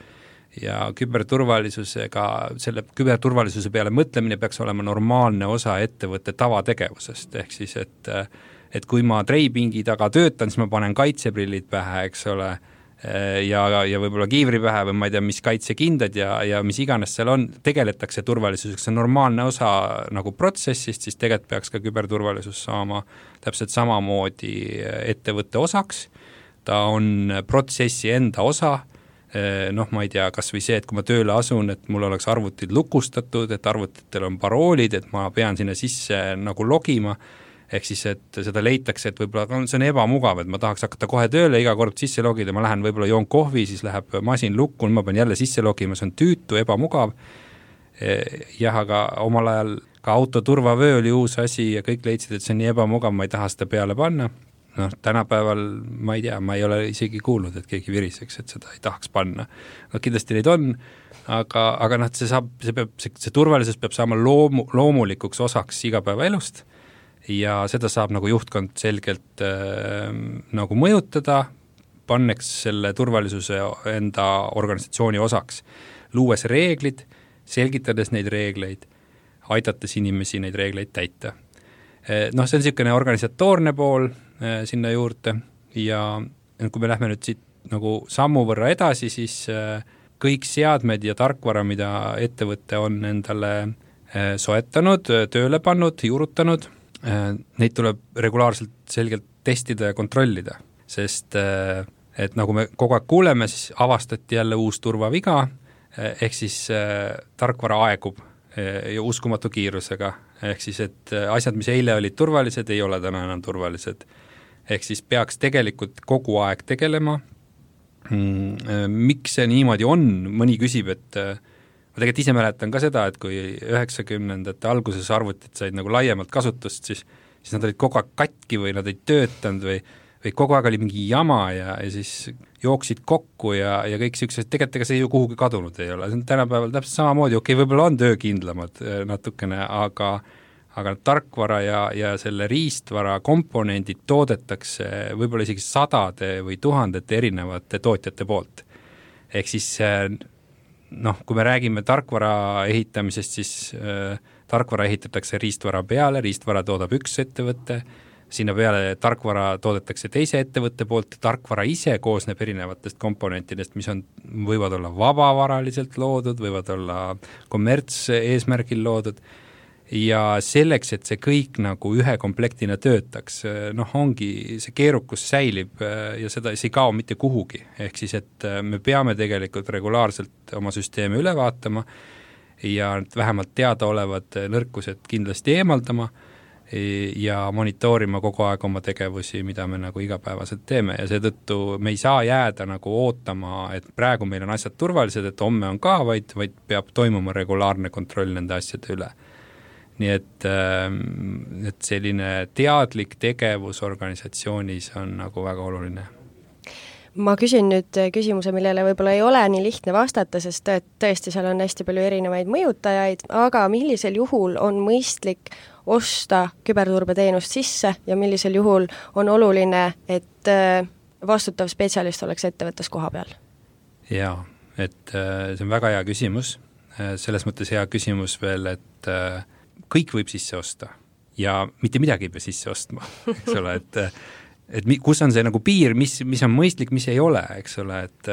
Ja küberturvalisusega, selle küberturvalisuse peale mõtlemine peaks olema normaalne osa ettevõtte tavategevusest, ehk siis, et, et kui ma treipingi taga töötan, siis ma panen kaitseprillid pähe, eks ole, ja, ja võib-olla kiivri pähe või ma ei tea, mis kaitsekindad ja, ja mis iganes seal on, tegeletakse turvalisuseks, see on normaalne osa nagu protsessist, siis tegelikult peaks ka küberturvalisus saama täpselt samamoodi ettevõtte osaks, ta on protsessi enda osa, noh, ma ei tea, kas või see, et kui ma tööle asun, et mul oleks arvutid lukustatud, et arvutitel on paroolid, et ma pean sinna sisse nagu logima, ehk siis, et seda leitakse, et võib-olla see on ebamugav, et ma tahaks hakata kohe tööle, iga kord sisse logida, ma lähen võib-olla joon kohvi, siis läheb masin lukku, ma pean jälle sisse logima, see on tüütu, ebamugav. Jah, aga omal ajal ka autoturvavöö oli uus asi ja kõik leidsid, et see on nii ebamugav, ma ei taha seda peale panna. Noh, tänapäeval ma ei tea, ma ei ole isegi kuulnud, et keegi viriseks, et seda ei tahaks panna. No kindlasti neid on, aga, aga noh, see saab, see peab, see, see turvalisus peab saama loomu, loomulikuks osaks igapäeva elust ja seda saab nagu juhtkond selgelt äh, nagu mõjutada, panneks selle turvalisuse enda organisatsiooni osaks, luues reeglid, selgitades neid reegleid, aidates inimesi neid reegleid täita. Noh, see on niisugune organisatoorne pool äh, sinna juurde ja kui me lähme nüüd siit nagu sammu võrra edasi, siis äh, kõik seadmed ja tarkvara, mida ettevõte on endale soetanud, tööle pannud, juurutanud, neid tuleb regulaarselt selgelt testida ja kontrollida, sest et nagu me kogu aeg kuuleme, siis avastati jälle uus turvaviga, ehk siis tarkvara aegub ja uskumatu kiirusega, ehk siis, et asjad, mis eile olid turvalised, ei ole täna enam turvalised. Ehk siis peaks tegelikult kogu aeg tegelema. Miks see niimoodi on? Mõni küsib, et ma tegelikult ise mäletan ka seda, et kui üheksakümnendate alguses arvutid said nagu laiemalt kasutust, siis, siis nad olid kogu aeg katki või nad ei töötanud või, või kogu aeg oli mingi jama ja, ja siis jooksid kokku ja, ja kõik sellised, tegelikult ega see ju kuhugi kadunud ei ole. See on tänapäeval täpselt samamoodi, okei, võib-olla on töökindlamad natukene, aga, aga tarkvara ja, ja selle riistvara komponendid toodetakse võib-olla isegi sadade või tuhandete erinevate tootjate poolt. Ehk siis noh, kui me räägime tarkvara ehitamisest, siis äh, tarkvara ehitatakse riistvara peale, riistvara toodab üks ettevõte, sinna peale tarkvara toodetakse teise ettevõtte poolt, tarkvara ise koosneb erinevatest komponentidest, mis on, võivad olla vabavaraliselt loodud, võivad olla kommerts eesmärgil loodud, ja selleks, et see kõik nagu ühe komplektina töötaks, noh, ongi, see keerukus säilib ja seda, see ei kao mitte kuhugi, ehk siis, et me peame tegelikult regulaarselt oma süsteemi üle vaatama ja vähemalt teadaolevad nõrkused kindlasti eemaldama ja monitoorima kogu aeg oma tegevusi, mida me nagu igapäevaselt teeme ja seetõttu me ei saa jääda nagu ootama, et praegu meil on asjad turvalised, et homme on ka, vaid, vaid peab toimuma regulaarne kontroll nende asjade üle. Nii et, et selline teadlik tegevus organisatsioonis on nagu väga oluline. Ma küsin nüüd küsimuse, millele võib-olla ei ole nii lihtne vastata, sest tõesti seal on hästi palju erinevaid mõjutajaid, aga millisel juhul on mõistlik osta küberturbeteenust sisse ja millisel juhul on oluline, et vastutav spetsialist oleks ettevõttes koha peal? Jaa, et see on väga hea küsimus. Selles mõttes hea küsimus veel, et kõik võib sisse osta ja mitte midagi ei pea sisse ostma, eks ole, et, et kus on see nagu piir, mis, mis on mõistlik, mis ei ole, eks ole, et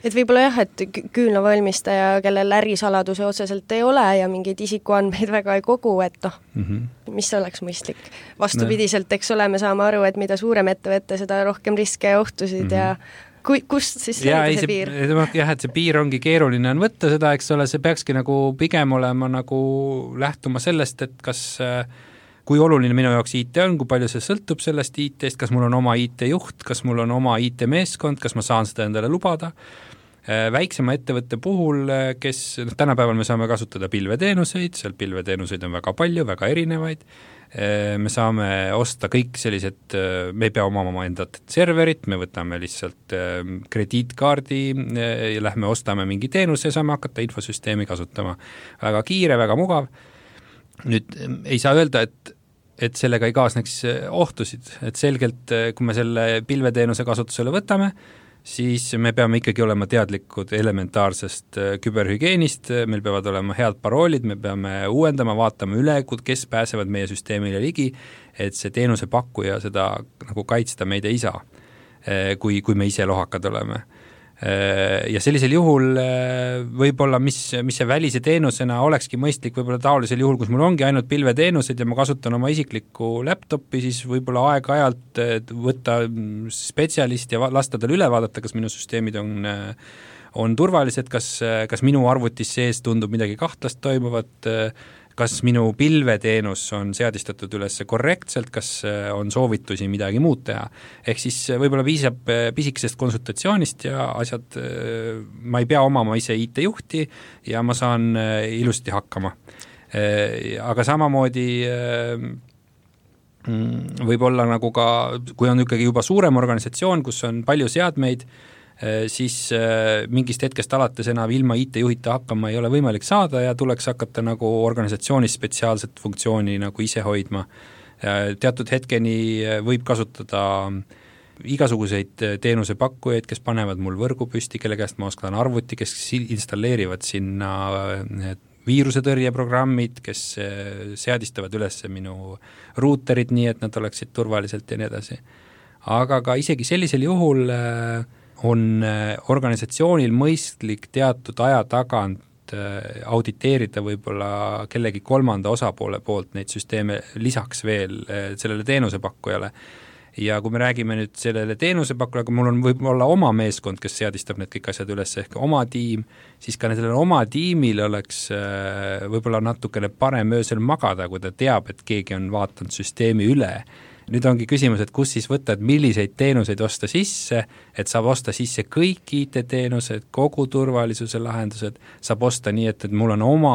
et võib-olla jah, et küünlavalmistaja, kellel ärisaladuse otseselt ei ole ja mingeid isikuandmeid väga ei kogu, et noh, mm-hmm. mis oleks mõistlik. Vastupidiselt, eks ole, me saame aru, et mida suurem ettevõte, seda rohkem riske ja ohtusid mm-hmm. ja Kui, kust siis ja, see, see piir? Jah, et see piir ongi keeruline on võtta seda, eks ole, see peakski nagu pigem olema nagu lähtuma sellest, et kas, kui oluline minu jaoks I T on, kui palju see sõltub sellest I T-st, kas mul on oma I T-juht, kas mul on oma I T-meeskond, kas ma saan seda endale lubada. Väiksema ettevõtte puhul, kes tänapäeval me saame kasutada pilveteenuseid, seal pilveteenuseid on väga palju, väga erinevaid, me saame osta kõik sellised, me ei pea omama endat serverit, me võtame lihtsalt krediitkaardi ja lähme ostame mingi teenuse ja saame hakata infosüsteemi kasutama. Väga kiire, väga mugav. Nüüd ei saa öelda, et, et sellega ei kaasneks ohtusid, et selgelt, kui me selle pilveteenuse kasutusele võtame, siis me peame ikkagi olema teadlikud elementaarsest küberhügienist, meil peavad olema head paroolid, me peame uuendama, vaatama üle, kes pääsevad meie süsteemile ligi, et see teenuse pakkuja seda nagu kaitsta meid ei saa, kui, kui me ise lohakad oleme. Ja sellisel juhul võib-olla, mis, mis see välise teenusena olekski mõistlik, võib-olla taolisel juhul, kus mul ongi ainult pilveteenused ja ma kasutan oma isiklikku laptopi, siis võib-olla aeg-ajalt võtta spetsialist ja lasta tal üle vaadata, kas minu süsteemid on, on turvalised, kas, kas minu arvutis sees tundub midagi kahtlast toimuvat, kas minu pilveteenus on seadistatud üles korrektselt, kas on soovitusi midagi muud teha. Ehk siis võib-olla piisab pisikesest konsultatsioonist ja asjad, ma ei pea omama ise I T-juhti ja ma saan ilusti hakkama. Aga samamoodi võib olla nagu ka, kui on ikkagi juba suurem organisatsioon, kus on palju seadmeid, siis mingist hetkest alates enam ilma I T-juhita hakkama ei ole võimalik saada ja tuleks hakata nagu organisatsioonis spetsiaalset funktsiooni nagu ise hoidma. Teatud hetkeni võib kasutada igasuguseid teenusepakkujaid, kes panevad mul võrgu püsti, kelle käest ma oskan arvuti, kes installeerivad sinna viirusetõrjeprogrammid, kes seadistavad üles minu ruuterid nii, et nad oleksid turvaliselt ja nii edasi. Aga ka isegi sellisel juhul on organisatsioonil mõistlik teatud aja tagant auditeerida võib-olla kellegi kolmanda osapoole poolt neid süsteeme lisaks veel sellele teenusepakkujale. Ja kui me räägime nüüd sellele teenusepakkujale, kui mul on võib-olla oma meeskond, kes seadistab need kõik asjad üles, ehk oma tiim, siis ka sellele oma tiimil oleks võib-olla natukene parem öösel magada, kui ta teab, et keegi on vaatanud süsteemi üle. Nüüd ongi küsimus, et kus siis võtta, et milliseid teenuseid osta sisse, et saab osta sisse kõik I T-teenused, kogu turvalisuse lahendused, saab osta nii, et, et mul on oma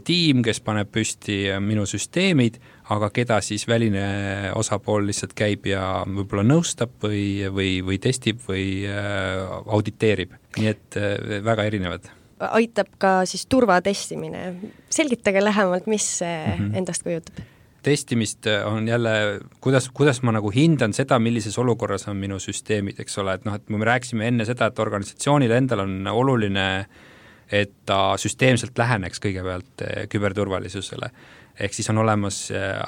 tiim, kes paneb püsti minu süsteemid, aga keda siis väline osapool lihtsalt käib ja võib-olla nõustab või, või, või testib või auditeerib. Nii et väga erinevad. Aitab ka siis turvatestimine. Selgitage lähemalt, mis see mm-hmm. endast kujutab? Testimist on jälle, kuidas, kuidas ma nagu hindan seda, millises olukorras on minu süsteemid, eks ole, et noh, et me rääksime enne seda, et organisatsioonil endal on oluline, et ta süsteemselt läheneks kõigepealt küberturvalisusele. Ehk siis on olemas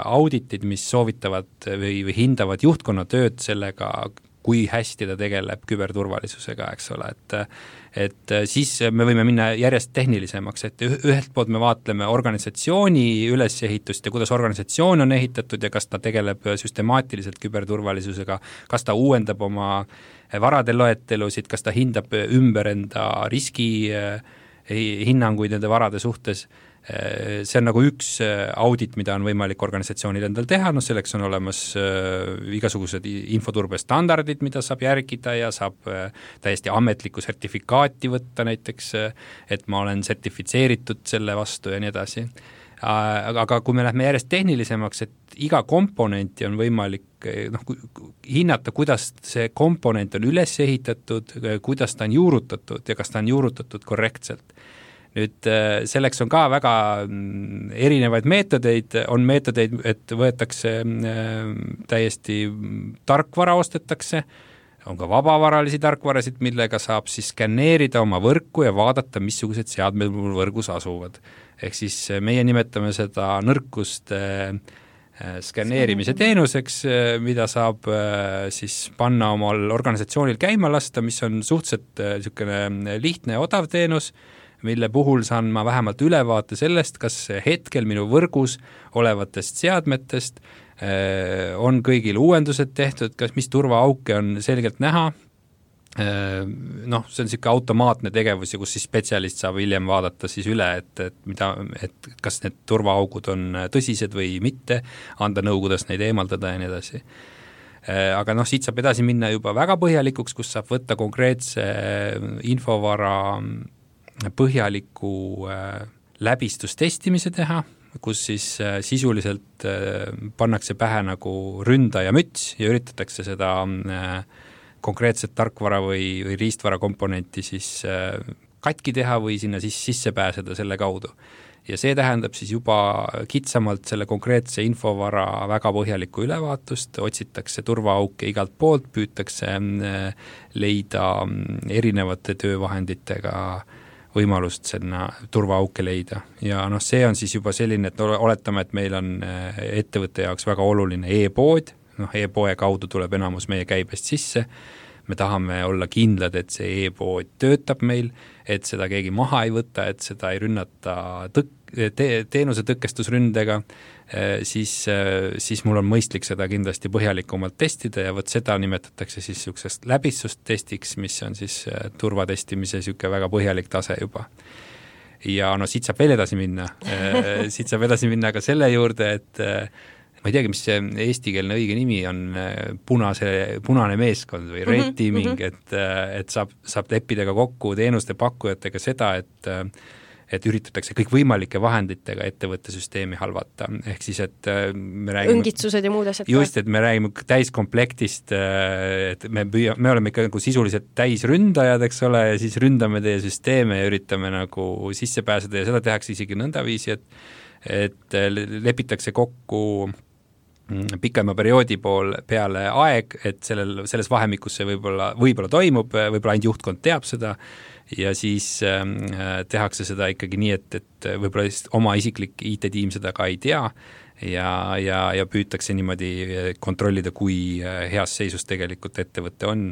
auditid, mis soovitavad või, või hindavad juhtkonna tööd sellega, kui hästi ta tegeleb küberturvalisusega, eks ole, et et siis me võime minna järjest tehnilisemaks, et ühelt poolt me vaatleme organisatsiooni ülesehitust ja kuidas organisatsioon on ehitatud ja kas ta tegeleb süstemaatiliselt küberturvalisusega, kas ta uuendab oma varade loetelusid, kas ta hindab ümber enda riski hinnanguid nende varade suhtes. See on nagu üks audit, mida on võimalik organisatsioonil endal teha, no selleks on olemas igasugused infoturbestandardid, mida saab järgida ja saab täiesti ametlikku sertifikaati võtta näiteks, et ma olen sertifitseeritud selle vastu ja nii edasi. Aga kui me lähme järjest tehnilisemaks, et iga komponenti on võimalik noh, hinnata, kuidas see komponent on üles ehitatud, kuidas ta on juurutatud ja kas ta on juurutatud korrektselt. Nüüd selleks on ka väga erinevaid meetodeid, on meetodeid, et võetakse täiesti tarkvara ostetakse, on ka vabavaralisi tarkvarasid, millega saab siis skanneerida oma võrku ja vaadata, missugused seadmed mul võrgus asuvad. Ehk siis meie nimetame seda nõrkuste skanneerimise teenuseks, mida saab siis panna omal organisatsioonil käima lasta, mis on suhteliselt niisugune lihtne ja odav teenus, mille puhul saan ma vähemalt ülevaate sellest, kas hetkel minu võrgus olevatest seadmetest on kõigil uuendused tehtud, kas mis turvaauke on selgelt näha. Noh, see on niisugune automaatne tegevus, kus siis spetsialist saab hiljem vaadata siis üle, et, et, mida, et kas need turvaaugud on tõsised või mitte, anda nõu, kuidas neid eemaldada ja nii edasi. Aga noh, siit saab edasi minna juba väga põhjalikuks, kus saab võtta konkreetse infovara põhjaliku läbistustestimise teha, kus siis sisuliselt pannakse pähe nagu ründaja müts ja üritatakse seda konkreetset tarkvara või, või riistvara komponenti siis katki teha või sinna siis sisse pääseda selle kaudu. Ja see tähendab siis juba kitsamalt selle konkreetse infovara väga põhjalikku ülevaatust, otsitakse turvaauke igalt poolt, püütakse leida erinevate töövahenditega võimalust sinna turvaauke leida. Ja noh, see on siis juba selline, et oletame, et meil on ettevõtte jaoks väga oluline e-pood, noh e-poe kaudu tuleb enamus meie käibest sisse, me tahame olla kindlad, et see e-pood töötab meil, et seda keegi maha ei võta, et seda ei rünnata tõk- te, teenuse tõkestusründega, siis, siis mul on mõistlik seda kindlasti põhjalikumalt testida ja võt seda nimetatakse siis niisugusest läbistustestiks, mis on siis turvatestimise niisugune väga põhjalik tase juba. Ja no siit saab veel edasi minna, siit saab edasi minna ka selle juurde, et ma ei teagi, mis see eestikeelne õige nimi on, punase, punane meeskond või red teaming, mm-hmm. et, et saab, saab leppida ka kokku teenuste pakkujatega seda, et et üritatakse kõik võimalike vahenditega ettevõtte süsteemi halvata. Ehk siis, et me räägime... Õngitsused ja muud asjad. Just, et me räägime täiskomplektist, et me, püüa, me oleme ikka nagu sisuliselt täisründajad, eks ole, ja siis ründame teie süsteeme ja üritame nagu sisse pääseda ja seda tehakse isegi nõndaviisi, et, et lepitakse kokku pikema perioodi pool peale aeg, et sellel, selles vahemikus see võib-olla, võib-olla toimub, võib-olla ainult juhtkond teab seda ja siis äh, tehakse seda ikkagi nii, et, et võib-olla oma isiklik I T-tiim seda ka ei tea, ja, ja, ja püütakse niimoodi kontrollida, kui heas seisus tegelikult ettevõte on.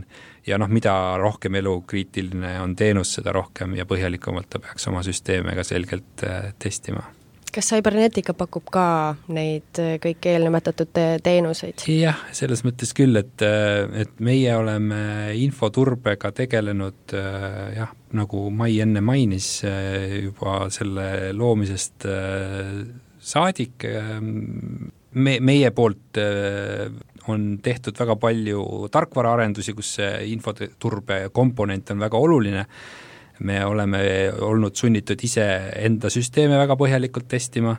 Ja noh, mida rohkem elukriitiline on teenus, seda rohkem ja põhjalikumalt ta peaks oma süsteeme ka selgelt testima. Kas Cybernetica pakub ka neid kõik eelnimetatud teenuseid? Jah, selles mõttes küll, et, et meie oleme infoturbega tegelenud, jah, nagu Mai enne mainis, juba selle loomisest saadik. Me, meie poolt on tehtud väga palju tarkvaraarendusi, kus infoturbe komponent on väga oluline. Me oleme olnud sunnitud ise enda süsteeme väga põhjalikult testima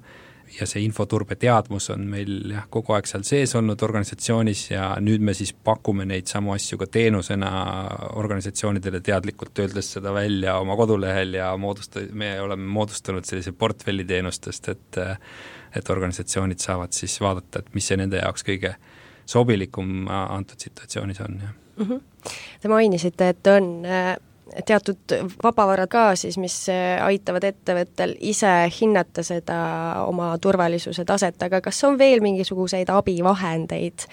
ja see infoturbe teadmus on meil jah, kogu aeg seal sees olnud organisatsioonis ja nüüd me siis pakume neid samu asju ka teenusena organisatsioonidele teadlikult öeldes seda välja oma kodulehel ja moodusta, me oleme moodustanud sellise portfelli teenustest, et, et organisatsioonid saavad siis vaadata, et mis see nende jaoks kõige sobilikum antud situatsioonis on. Ja. Mm-hmm. Te mainisite, et on teatud vabavarad ka siis, mis aitavad ettevõttel ise hinnata seda oma turvalisuse taset, aga kas on veel mingisuguseid abivahendeid,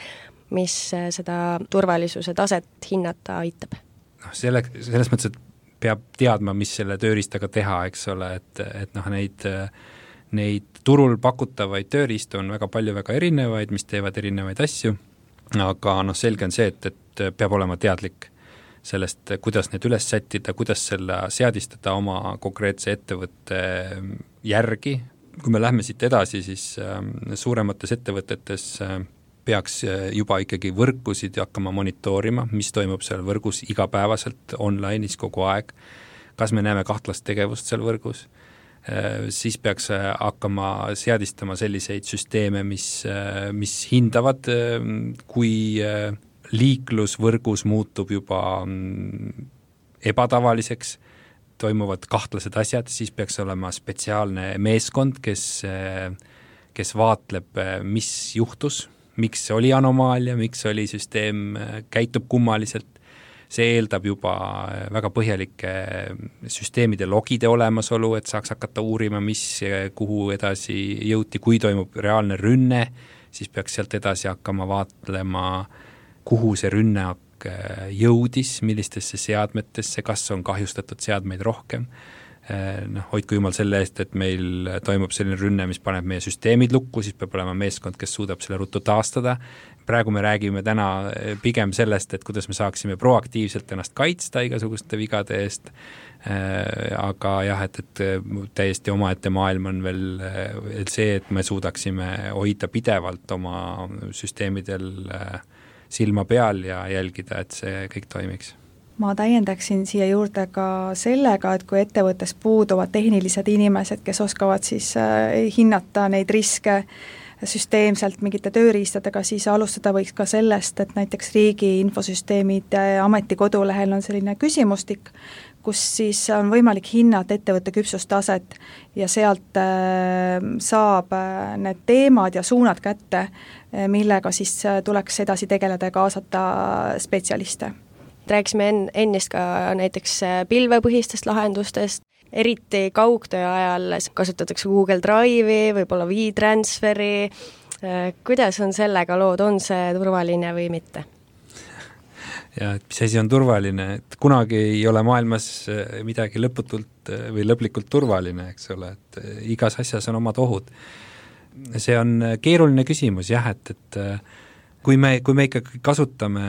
mis seda turvalisuse taset hinnata aitab? No, selle, selles mõttes, et peab teadma, mis selle tööriistaga teha, eks ole, et, et noh, neid, neid turul pakutavaid tööriistu on väga palju väga erinevaid, mis teevad erinevaid asju, aga noh, selge on see, et, et peab olema teadlik sellest, kuidas need üles sättida, kuidas selle seadistada oma konkreetse ettevõtte järgi. Kui me lähme siit edasi, siis suuremates ettevõtetes peaks juba ikkagi võrkusid hakkama monitoorima, mis toimub seal võrgus igapäevaselt online'is kogu aeg. Kas me näeme kahtlast tegevust seal võrgus? Siis peaks hakkama seadistama selliseid süsteeme, mis, mis hindavad, kui liiklusvõrgus muutub juba ebatavaliseks, toimuvad kahtlased asjad, siis peaks olema spetsiaalne meeskond, kes, kes vaatleb, mis juhtus, miks oli anomaalia, miks oli süsteem, käitub kummaliselt. See eeldab juba väga põhjalike süsteemide logide olemasolu, et saaks hakata uurima, mis, kuhu edasi jõuti, kui toimub reaalne rünne, siis peaks sealt edasi hakkama vaatlema, kuhu see rünnak jõudis, millistesse seadmetesse, kas on kahjustatud seadmeid rohkem. Noh, hoidku jumal selle eest, et meil toimub selline rünne, mis paneb meie süsteemid lukku, siis peab olema meeskond, kes suudab selle ruttu taastada. Praegu me räägime täna pigem sellest, et kuidas me saaksime proaktiivselt ennast kaitsta igasuguste vigade eest, aga jah, et, et täiesti omaette maailm on veel see, et me suudaksime hoida pidevalt oma süsteemidel silma peal ja jälgida, et see kõik toimiks. Ma täiendaksin siia juurde ka sellega, et kui ettevõttes puuduvad tehnilised inimesed, kes oskavad siis hinnata neid riske süsteemselt mingite tööriistadega, siis alustada võiks ka sellest, et näiteks riigi infosüsteemid ameti kodulehel on selline küsimustik, kus siis on võimalik hinnata ettevõtte küpsustaset ja sealt saab need teemad ja suunad kätte, millega siis tuleks edasi tegeleda ja kaasata spetsialiste. Rääkisime ennist ka näiteks pilvepõhistest lahendustest, eriti kaugtöö ajal kasutatakse Google Drive'i, võib-olla WeTransferi. Kuidas on sellega lood, on see turvaline või mitte? Ja et mis asi on turvaline, et kunagi ei ole maailmas midagi lõputult või lõplikult turvaline, eks ole, et igas asjas on omad ohud. See on keeruline küsimus, jah, et, et kui me, kui me ikka kasutame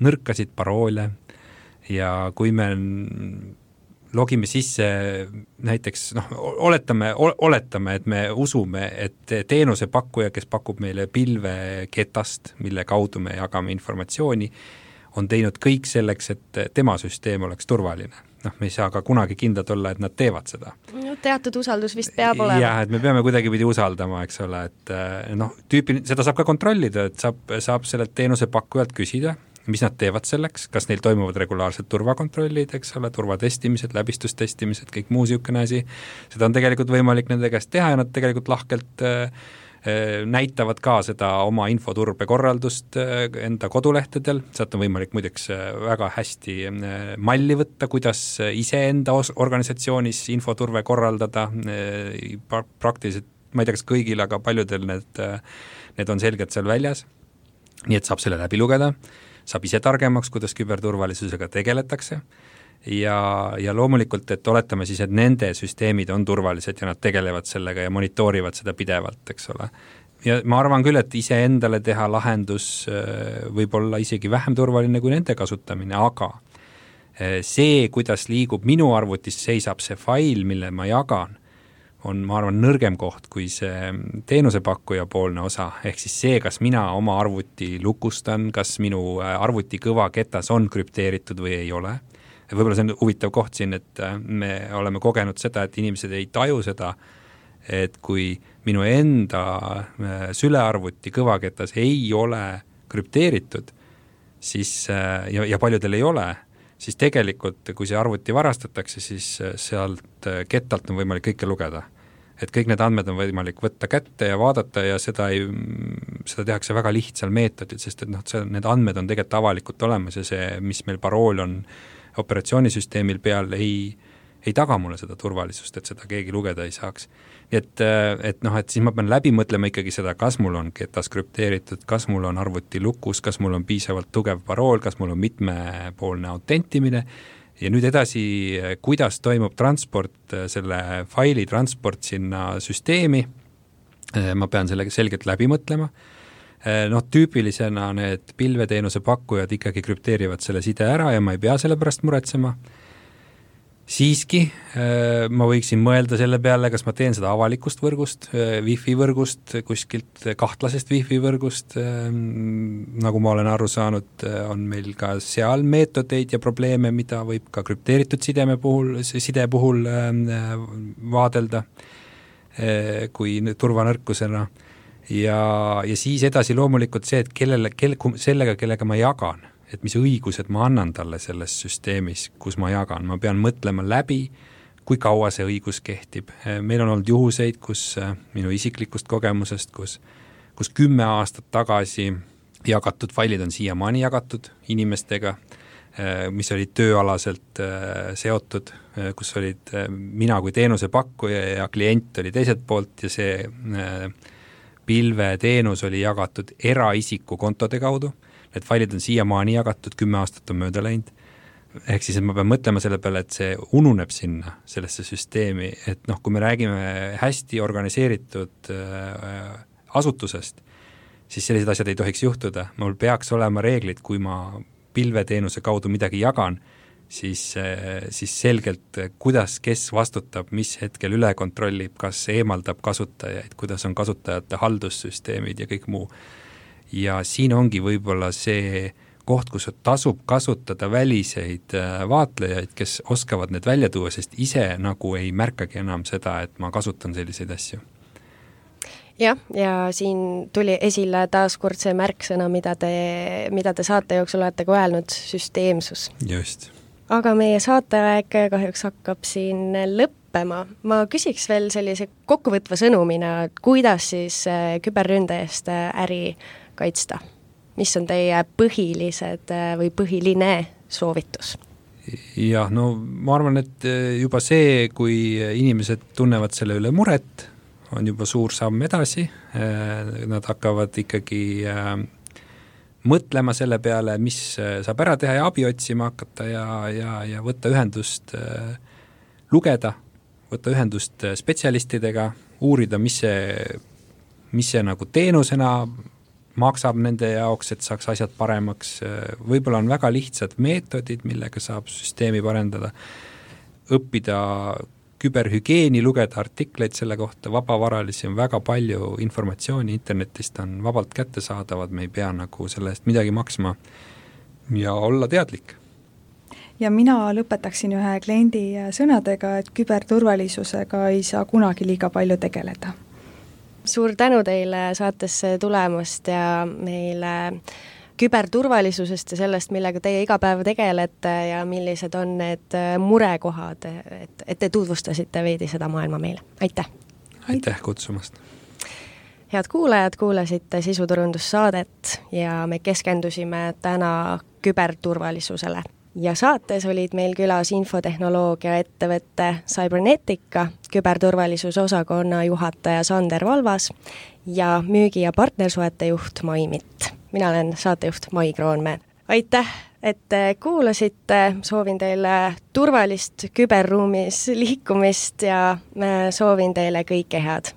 nõrkasid paroole ja kui me logime sisse näiteks, noh, oletame, oletame, et me usume, et teenusepakkuja, kes pakub meile pilveketast, mille kaudu me jagame informatsiooni, on teinud kõik selleks, et tema süsteem oleks turvaline. Noh, me ei saa ka kunagi kindlad olla, et nad teevad seda. No, teatud usaldus vist peab olema. Jah, et me peame kuidagi pidi usaldama, eks ole, et noh, tüüpi, seda saab ka kontrollida, et saab, saab sellelt teenusepakkujalt küsida, mis nad teevad selleks, kas neil toimuvad regulaarsed turvakontrollid, eks ole, turvatestimised, läbistustestimised, kõik muu siukene asi. Seda on tegelikult võimalik nende käest teha ja nad tegelikult lahkelt äh, näitavad ka seda oma infoturbe korraldust enda kodulehtedel, sealt on võimalik muideks väga hästi malli võtta, kuidas ise enda organisatsioonis infoturve korraldada, praktiliselt ma ei tea, kas kõigil, aga paljudel need, need on selgelt seal väljas, nii et saab selle läbi lugeda, saab ise targemaks, kuidas küberturvalisusega tegeletakse ja, ja loomulikult, et oletame siis, et nende süsteemid on turvalised ja nad tegelevad sellega ja monitoorivad seda pidevalt, eks ole. Ja ma arvan küll, et ise endale teha lahendus võib olla isegi vähem turvaline kui nende kasutamine, aga see, kuidas liigub minu arvutis, seisab see fail, mille ma jagan, on, ma arvan, nõrgem koht kui see teenusepakkuja poolne osa, ehk siis see, kas mina oma arvuti lukustan, kas minu arvuti kõvaketas on krüpteeritud või ei ole. Võib-olla see on huvitav koht siin, et me oleme kogenud seda, et inimesed ei taju seda, et kui minu enda sülearvuti kõvaketas ei ole krüpteeritud, siis, ja, ja paljudel ei ole, siis tegelikult, kui see arvuti varastatakse, siis sealt kettalt on võimalik kõike lugeda. Et kõik need andmed on võimalik võtta kätte ja vaadata ja seda, ei, seda tehakse väga lihtsal meetodil, sest et noh, see, need andmed on tegelikult avalikult olemas ja see, mis meil parool on operatsioonisüsteemil peal, ei, ei taga mulle seda turvalisust, et seda keegi lugeda ei saaks. Et, et noh, et siis ma pean läbi mõtlema ikkagi seda, kas mul on ketas krüpteeritud, kas mul on arvuti lukus, kas mul on piisavalt tugev parool, kas mul on mitmepoolne autentimine ja nüüd edasi, kuidas toimub transport, selle faili transport sinna süsteemi, ma pean selle selgelt läbi mõtlema. Noh, tüüpilisena need pilveteenuse pakkujad ikkagi krüpteerivad selle side ära ja ma ei pea selle pärast muretsema. Siiski ma võiksin mõelda selle peale, kas ma teen seda avalikust võrgust, Wi-Fi võrgust, kuskilt kahtlasest Wi-Fi võrgust, nagu ma olen aru saanud, on meil ka seal meetodeid ja probleeme, mida võib ka krüpteeritud sideme puhul, side puhul vaadelda kui turvanõrkusena. Ja, ja siis edasi loomulikult see, et kellele, kelle, sellega, kellega ma jagan, et mis õigused ma annan talle selles süsteemis, kus ma jagan. Ma pean mõtlema läbi, kui kaua see õigus kehtib. Meil on olnud juhuseid, kus minu isiklikust kogemusest, kus, kus kümme aastat tagasi jagatud failid on siiamaani jagatud inimestega, mis olid tööalaselt seotud, kus olid mina kui teenusepakkuja ja klient oli teiselt poolt ja see pilveteenus oli jagatud eraisiku kontode kaudu. Need failid on siiamaani jagatud, kümme aastat on mööda läinud. Ehk siis, et ma pean mõtlema selle peale, et see ununeb sinna, sellesse süsteemi, et noh, kui me räägime hästi organiseeritud äh, asutusest, siis sellised asjad ei tohiks juhtuda. Mul peaks olema reeglid, kui ma pilveteenuse kaudu midagi jagan, siis, äh, siis selgelt, kuidas, kes vastutab, mis hetkel üle kontrollib, kas eemaldab kasutajaid, kuidas on kasutajate haldussüsteemid ja kõik muu. Ja siin ongi võib-olla see koht, kus tasub kasutada väliseid vaatlejaid, kes oskavad need välja tuua, sest ise nagu ei märkagi enam seda, et ma kasutan selliseid asju. Jah, ja siin tuli esile taas kord see märksõna, mida te, mida te saate jooksul olete ka öelnud, süsteemsus. Just. Aga meie saateaeg kahjuks hakkab siin lõppema. Ma küsiks veel sellise kokkuvõtva sõnumina, et kuidas siis küberründe eest äri kaitsta? Mis on teie põhilised või põhiline soovitus? Jah, no ma arvan, et juba see, kui inimesed tunnevad selle üle muret, on juba suur samm edasi. Nad hakkavad ikkagi mõtlema selle peale, mis saab ära teha ja abi otsima hakata ja, ja, ja võtta ühendust lugeda, võtta ühendust spetsialistidega, uurida, mis see, mis see nagu teenusena maksab nende jaoks, et saaks asjad paremaks. Võib-olla on väga lihtsad meetodid, millega saab süsteemi parendada, õppida küberhügeeni, lugeda artikleid selle kohta, vabavaralisi on väga palju informatsiooni internetist, on vabalt kättesaadavad, me ei pea nagu selle eest midagi maksma ja olla teadlik. Ja mina lõpetaksin ühe kliendi sõnadega, et küberturvalisusega ei saa kunagi liiga palju tegeleda. Suur tänu teile saatesse tulemast ja meile küberturvalisusest ja sellest, millega teie iga päev tegelete ja millised on need murekohad, et, et te tutvustasite veidi seda maailma meile. Aitäh! Aitäh kutsumast! Head kuulajad, kuulasite sisuturundussaadet ja me keskendusime täna küberturvalisusele. ja saates olid meil külas infotehnoloogia ettevõtte Cybernetica küberturvalisuse osakonna juhataja Sander Valvas ja müügi- ja partnersuhete juht Mai Mitt. Mina olen saatejuht Mai Kroonmäe. Aitäh, et kuulasite, soovin teile turvalist küberruumis liikumist ja soovin teile kõike head.